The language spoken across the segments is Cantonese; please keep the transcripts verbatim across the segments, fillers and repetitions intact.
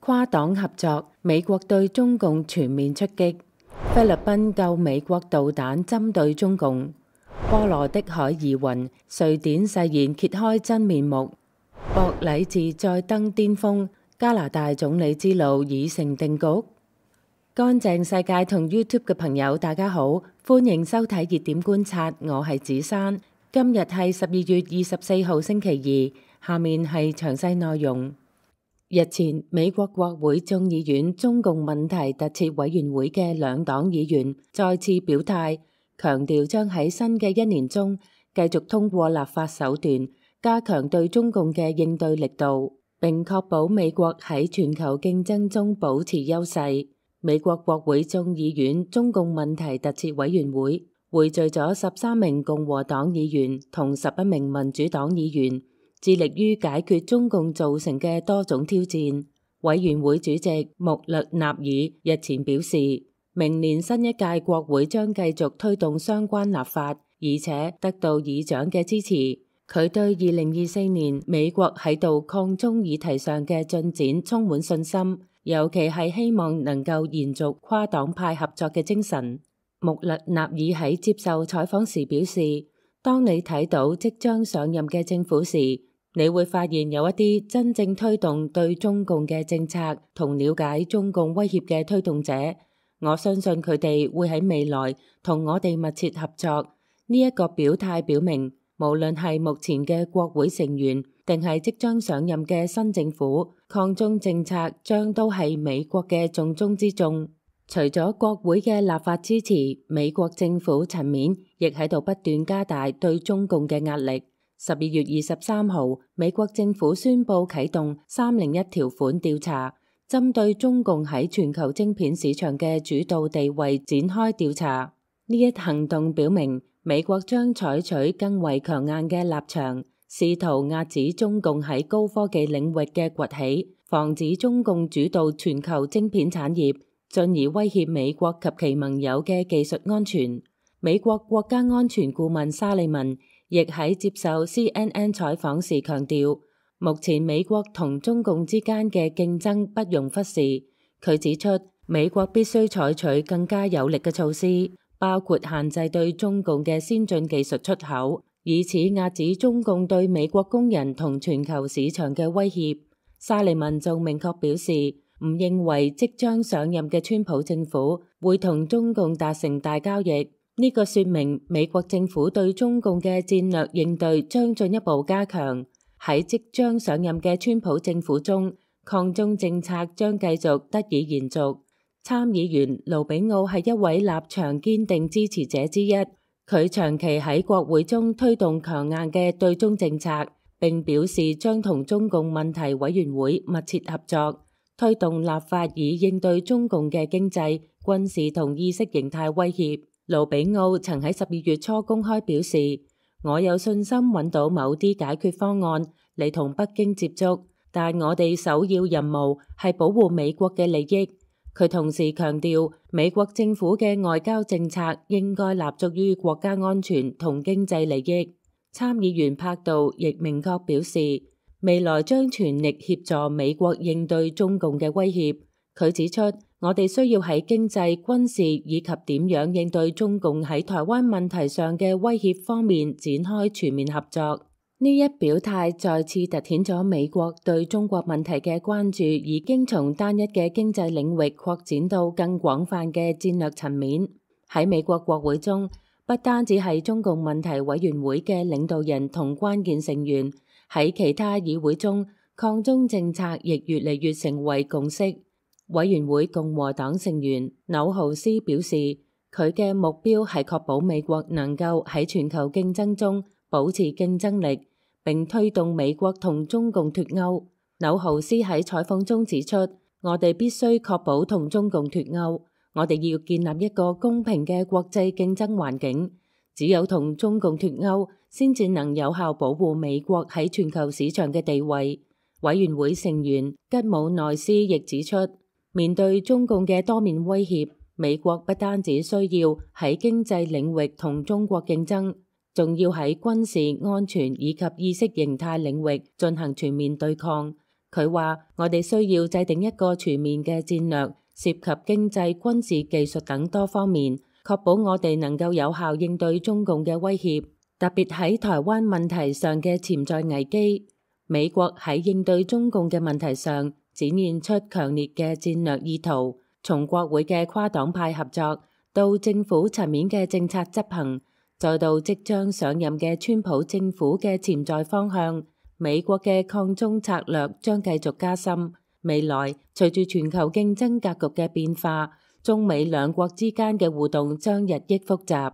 跨黨合作，美國對中共全面出擊。菲律賓救美國導彈針對中共。波羅的海疑雲，瑞典誓言揭開真面目。博禮治再登巔峰，加拿大總理之路已成定局。乾淨世界同 YouTube 嘅朋友大家好，歡迎收睇熱點觀察，我係子珊。今日係十二月二十四號星期二，下面係詳細內容。日前，美國國會眾議院中共問題特設委員會嘅兩黨議員再次表態，強調將喺新嘅一年中繼續通過立法手段，加強對中共嘅應對力度，並確保美國喺全球競爭中保持優勢。美國國會眾議院中共問題特設委員會匯聚咗十三名共和黨議員同十一名民主黨議員，致力於解決中共造成嘅多種挑戰。委員會主席穆勒納爾日前表示，明年新一屆國會將繼續推動相關立法，而且得到議長嘅支持。佢對二零二四年美國喺度抗中議題上嘅進展充滿信心，尤其係希望能夠延續跨黨派合作嘅精神。穆勒納爾喺接受採訪時表示，當你睇到即將上任嘅政府時，你會發現有一啲真正推動對中共嘅政策同了解中共威脅嘅推動者。我相信佢哋會喺未來同我哋密切合作。呢一個表態表明，無論係目前嘅國會成員定係即將上任嘅新政府，抗中政策將都係美國嘅重中之重。除咗國會嘅立法支持，美國政府層面亦喺度不斷加大對中共嘅壓力。十二月二十三號，美國政府宣布啟動三零一條款調查，針對中共喺全球晶片市場嘅主導地位展開調查。呢一行動表明，美國將採取更為強硬嘅立場，試圖遏止中共喺高科技領域嘅崛起，防止中共主導全球晶片產業，進而威脅美國及其盟友嘅技術安全。美國國家安全顧問沙利文亦喺接受 C N N 採訪時強調，目前美國同中共之間嘅競爭不容忽視。佢指出，美國必須採取更加有力嘅措施，包括限制對中共嘅先進技術出口，以此遏止中共對美國工人同全球市場嘅威脅。沙利文仲明確表示，唔認為即將上任嘅川普政府會同中共達成大交易。呢個說明美國政府對中共嘅戰略應對將進一步加強。喺即將上任嘅川普政府中，抗中政策將繼續得以延續。參議員盧比奧係一位立場堅定支持者之一，佢長期喺國會中推動強硬嘅對中政策，並表示將同中共問題委員會密切合作，推動立法以應對中共嘅經濟、軍事同意識形態威脅。盧比奧曾喺十二月初公開表示，我有信心揾到某啲解決方案嚟同北京接觸，但我哋首要任務係保護美國嘅利益。佢同時強調，美國政府嘅外交政策應該立足於國家安全同經濟利益。參議員柏杜亦明確表示，未來將全力協助美國應對中共嘅威脅。佢指出，我哋需要喺經濟、軍事以及點樣應對中共喺台灣問題上嘅威脅方面展開全面合作。呢一表態再次凸顯咗美國對中國問題嘅關注已經從單一嘅經濟領域擴展到更廣泛嘅戰略層面。喺美國國會中，不單止係中共問題委員會嘅領導人同關鍵成員，喺其他議會中，抗中政策亦越嚟越成為共識。委員會共和黨成員紐豪斯表示，佢嘅目標係確保美國能夠喺全球競爭中保持競爭力，並推動美國同中共脫鈎。紐豪斯喺採訪中指出，我哋必須確保同中共脫鈎，我哋要建立一個公平嘅國際競爭環境。只有同中共脫鈎，先至能有效保護美國喺全球市場嘅地位。委員會成員吉姆內斯亦指出，面對中共嘅多面威脅，美國不單只需要喺經濟領域同中國競爭，仲要喺軍事、安全以及意識形態領域進行全面對抗。佢話：我哋需要制定一個全面嘅戰略，涉及經濟、軍事、技術等多方面，確保我哋能夠有效應對中共嘅威脅，特別喺台灣問題上嘅潛在危機。美國喺應對中共嘅問題上展現出強烈嘅戰略意圖，從國會嘅跨黨派合作到政府層面嘅政策執行，再到即將上任嘅川普政府嘅潛在方向，美國嘅抗中策略將繼續加深。未來隨住全球競爭格局嘅變化，中美兩國之間嘅互動將日益複雜。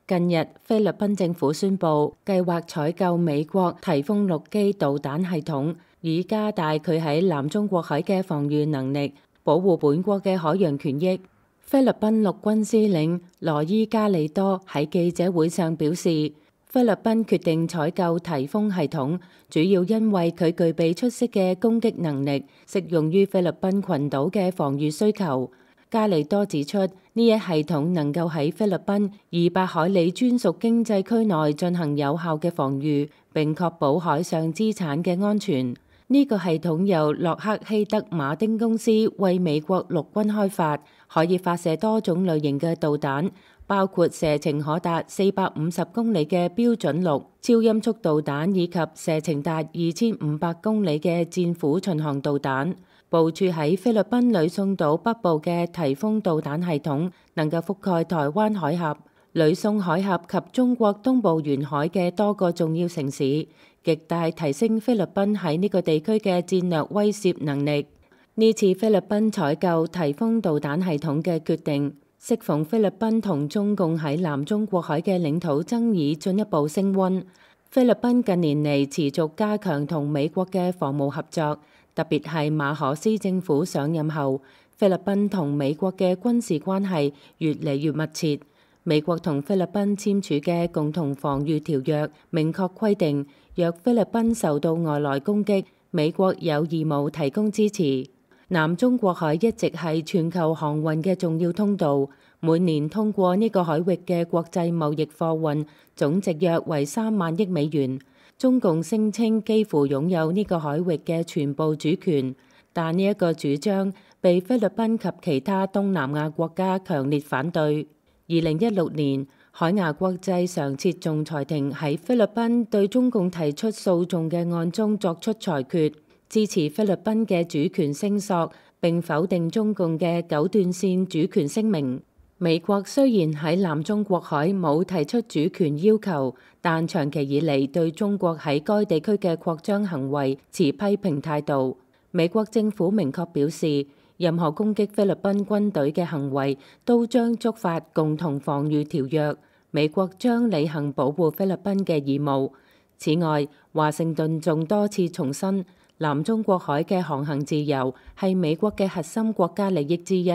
近日，菲律賓政府宣布計劃採購美國颱風六機導彈系統，以加大佢喺南中國海嘅防禦能力，保護本國嘅海洋權益。菲律賓陸軍司令羅伊加利多喺記者會上表示，菲律賓決定採購颱風系統，主要因為佢具備出色嘅攻擊能力，適用於菲律賓群島嘅防禦需求。加利多指出，呢一系統能夠喺菲律賓二百海里專屬經濟區內進行有效嘅防禦，並確保海上資產嘅安全。呢個系統由洛克希德馬丁公司為美國陸軍開發，可以發射多種類型嘅導彈，包括射程可達四百五十公里嘅標準六超音速導彈，以及射程達二千五百公里嘅戰斧巡航導彈。部署喺菲律賓呂宋島北部嘅颱風導彈系統能夠覆蓋台灣海峽、呂宋海峽及中國東部沿海嘅多個重要城市，極大提升菲律賓喺呢個地區嘅戰略威懾能力。呢次菲律賓採購颱風導彈系統嘅決定，適逢菲律賓同中共喺南中國海嘅領土爭議進一步升溫。菲律賓近年嚟持續加強同美國嘅防務合作，特別係馬可斯政府上任後，菲律賓同美國嘅軍事關係越嚟越密切。美國同菲律賓簽署嘅共同防禦條約明確規定，若菲律賓受到外來攻擊，美國有義務提供支持。南中國海一直係全球航運嘅重要通道，每年通過呢個海域嘅國際貿易貨運總值約為三萬億美元。中共聲稱幾乎擁有呢個海域嘅全部主權，但呢一個主張被菲律賓及其他東南亞國家強烈反對。二零一六年，海牙國際常設仲裁庭喺菲律賓對中共提出訴訟嘅案中作出裁決，支持菲律賓嘅主權聲索，並否定中共嘅九段線主權聲明。美國雖然喺南中國海冇提出主權要求，但長期以嚟對中國喺該地區嘅擴張行為持批評態度。美國政府明確表示，任何攻擊菲律賓軍隊嘅行為都將觸發共同防禦條約，美國將履行保護菲律賓嘅義務。此外，華盛頓仲多次重申，南中國海嘅航行自由係美國嘅核心國家利益之一。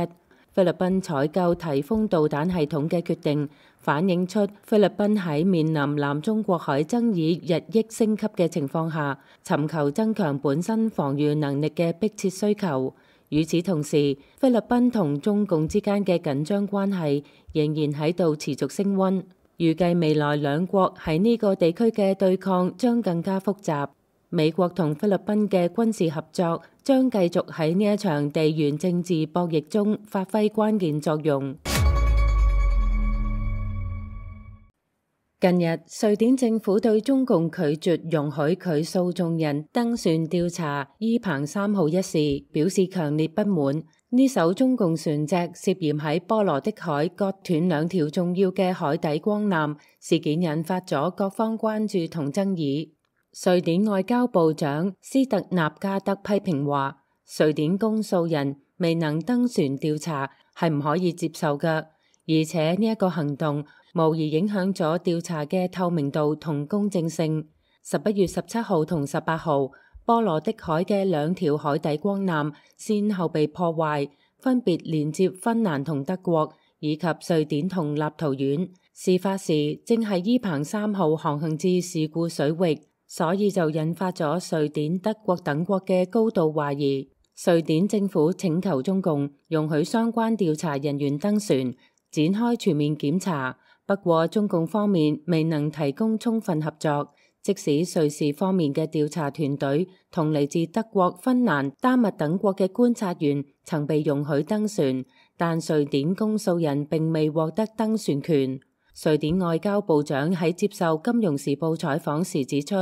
菲律賓採購颱風導彈系統嘅決定，反映出菲律賓喺面臨南中國海爭議日益升級嘅情況下，尋求增強本身防禦能力嘅迫切需求。與此同時，菲律賓同中共之間嘅緊張關係仍然喺度持續升溫，預計未來兩國喺呢個地區嘅對抗將更加複雜。美國同菲律賓嘅軍事合作將繼續喺呢一場地緣政治博弈中發揮關鍵作用。近日，瑞典政府對中共拒絕容許佢訴訟人登船調查伊彭三號一事表示強烈不滿。呢艘中共船隻涉嫌喺波羅的海割斷兩條重要嘅海底光纜，事件引發咗各方關注同爭議。瑞典外交部長斯特納加德批評話，瑞典公訴人未能登船調查係唔可以接受嘅，而且呢一個行動無疑影響咗調查嘅透明度同公正性。十一月十七號同十八號，波羅的海嘅兩條海底光纜先後被破壞，分別連接芬蘭同德國，以及瑞典同立陶宛。事發時正係伊彭三號航行至事故水域，所以就引發咗瑞典、德國等國嘅高度懷疑。瑞典政府請求中共容許相關調查人員登船，展開全面檢查。不過中共方面未能提供充分合作，即使瑞士方面嘅調查團隊同嚟自德國、芬蘭、丹麥等國嘅觀察員曾被容許登船，但瑞典公訴人並未獲得登船權。瑞典外交部長喺接受《金融時報》採訪時指出，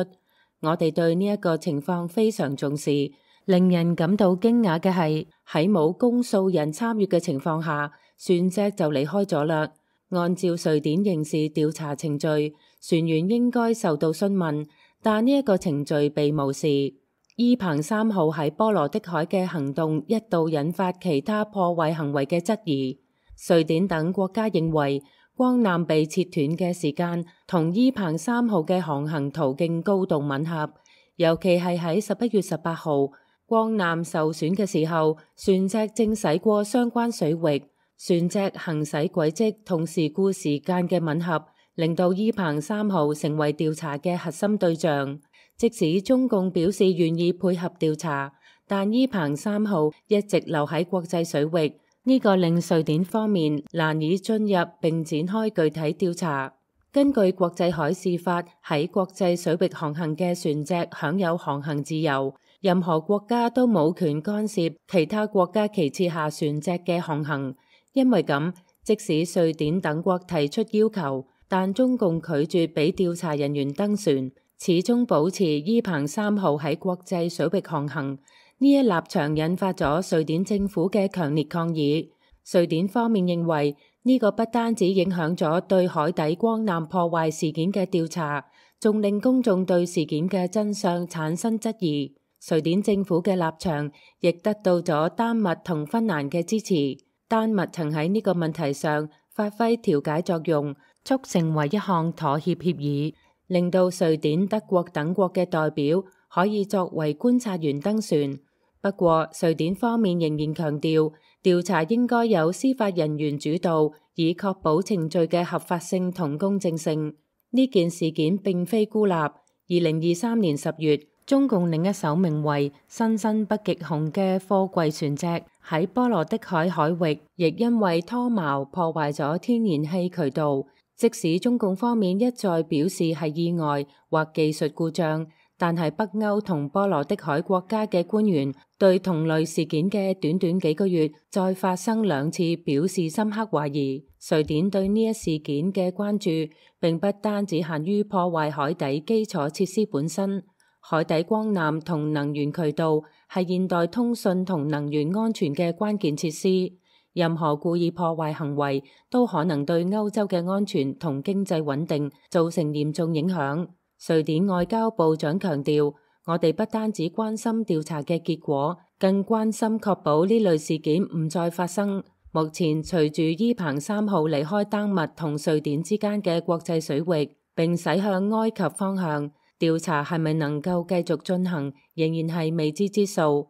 我哋對呢一個情況非常重視。令人感到驚訝嘅係，喺冇公訴人參與嘅情況下，船隻就離開咗啦。按照瑞典刑事調查程序，船員應該受到詢問，但呢一個程序被無視。伊彭三號喺波羅的海嘅行動一度引發其他破壞行為嘅質疑。瑞典等國家認為，光纜被切斷嘅時間同伊彭三號嘅航行途徑高度吻合，尤其係喺十一月十八號，光纜受損嘅時候，船隻正駛過相關水域，船隻行駛軌跡同事故時間嘅吻合，令到伊彭三號成為調查嘅核心對象。即使中共表示願意配合調查，但伊彭三號一直留喺國際水域。呢個令瑞典方面難以進入並展開具體調查。根據國際海事法，喺國際水域航行嘅船隻享有航行自由，任何國家都冇權干涉其他國家旗幟下船隻嘅航行。因為咁，即使瑞典等國提出要求，但中共拒絕俾調查人員登船，始終保持伊彭三號喺國際水域航行。呢一立場引發咗瑞典政府嘅強烈抗議。瑞典方面認為呢個不單止影響咗對海底光纜破壞事件嘅調查，仲令公眾對事件嘅真相產生質疑。瑞典政府嘅立場亦得到咗丹麥同芬蘭嘅支持。丹麥曾喺呢個問題上發揮調解作用，促成為一項妥協協議，令到瑞典、德國等國嘅代表可以作為觀察員登船。不過，瑞典方面仍然強調，調查應該由司法人員主導，以確保程序嘅合法性同公正性。呢件事件並非孤立。二零二三年十月，中共另一艘名為新新北極熊嘅貨櫃船隻喺波羅的海海域，亦因為拖錨破壞咗天然氣渠道。即使中共方面一再表示係意外或技術故障，但係北歐同波羅的海國家嘅官員對同類事件嘅短短幾個月再發生兩次表示深刻懷疑。瑞典對呢一事件嘅關注並不單只限於破壞海底基礎設施本身，海底光纜同能源渠道係現代通訊同能源安全嘅關鍵設施，任何故意破壞行為都可能對歐洲嘅安全同經濟穩定造成嚴重影響。瑞典外交部長強調，我哋不單止關心調查嘅結果，更關心確保呢類事件唔再發生。目前隨住伊彭三號離開丹麥同瑞典之間嘅國際水域，並駛向埃及方向，調查係咪能夠繼續進行，仍然係未知之數。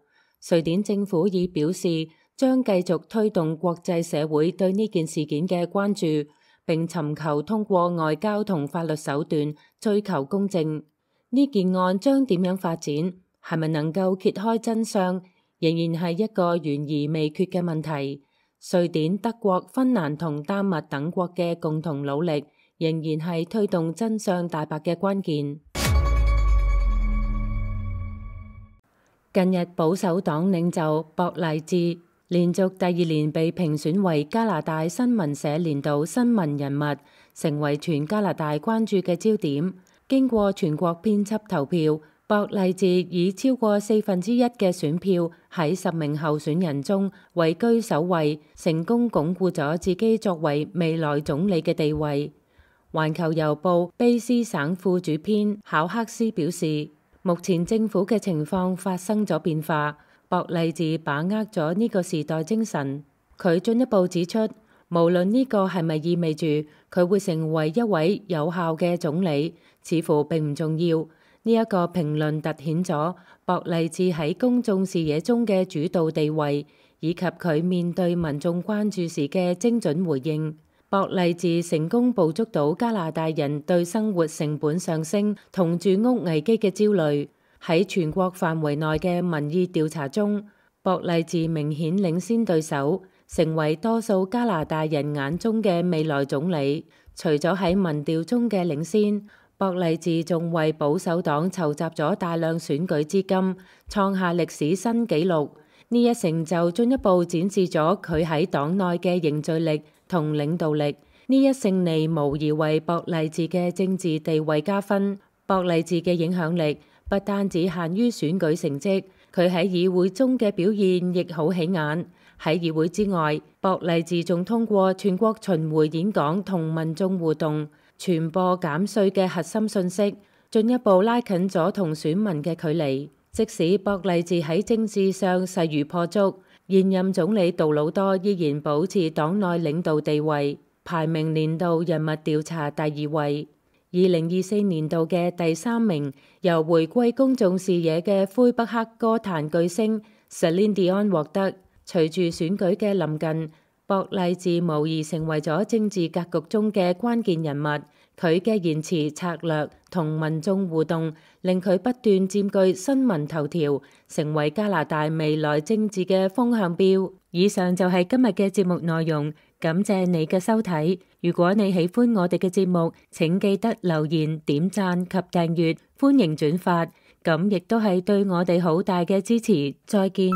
瑞典政府已表示將繼續推動國際社會對呢件事件嘅關注，並尋求通過外交同法律手段追求公正。呢件案將點樣發展，係咪能夠揭開真相，仍然係一個懸而未決嘅問題。瑞典、德國、芬蘭同丹麥等國嘅共同努力，仍然係推動真相大白嘅關鍵。近日，保守黨領袖博勵治連續第二年被評選為加拿大新聞社年度新聞人物，成為全加拿大關注嘅焦點。經過全國編輯投票，博勵治以超過四分之一嘅選票喺十名候選人中位居首位，成功鞏固咗自己作為未來總理嘅地位。環球郵報卑詩省副主編考克斯表示，目前政府嘅情況發生咗變化。博勵治把握咗呢個時代精神，佢進一步指出，無論呢個係咪意味住佢會成為一位有效嘅總理，似乎並唔重要。呢一個評論凸顯咗博勵治喺公眾視野中嘅主導地位，以及佢面對民眾關注時嘅精準回應。博勵治成功捕捉到加拿大人對生活成本上升同住屋危機嘅焦慮。喺全國範圍內嘅民意調查中，博勵治明顯領先對手，成為多數加拿大人眼中嘅未來總理。除咗喺民調中嘅領先，博勵治仲為保守黨籌集咗大量選舉資金，創下歷史新紀錄。呢一成就進一步展示咗佢喺黨內嘅凝聚力同領導力。呢一勝利無疑為博勵治嘅政治地位加分。博勵治嘅影響力不單只限於選舉成績，佢喺議會中嘅表現亦好起眼。喺議會之外，博勵治仲通過全國巡迴演講同民眾互動，傳播減稅嘅核心信息，進一步拉近咗同選民嘅距離。即使博勵治喺政治上勢如破竹，現任總理杜魯多依然保持黨內領導地位，排名年度人物調查第二位。二零二四年度嘅第三名由回歸公眾視野嘅魁北克歌壇巨星 Celine Dion 獲得。隨住選舉嘅臨近，博勵治無疑成為咗政治格局中嘅關鍵人物。佢嘅言辭策略同民眾互動，令佢不斷佔據新聞頭條，成為加拿大未來政治嘅風向標。以上就係今日嘅節目內容，感謝你嘅收睇。如果你喜歡我哋嘅節目，請記得留言、點讚及訂閱，歡迎轉發，咁亦都係對我哋好大嘅支持。再見。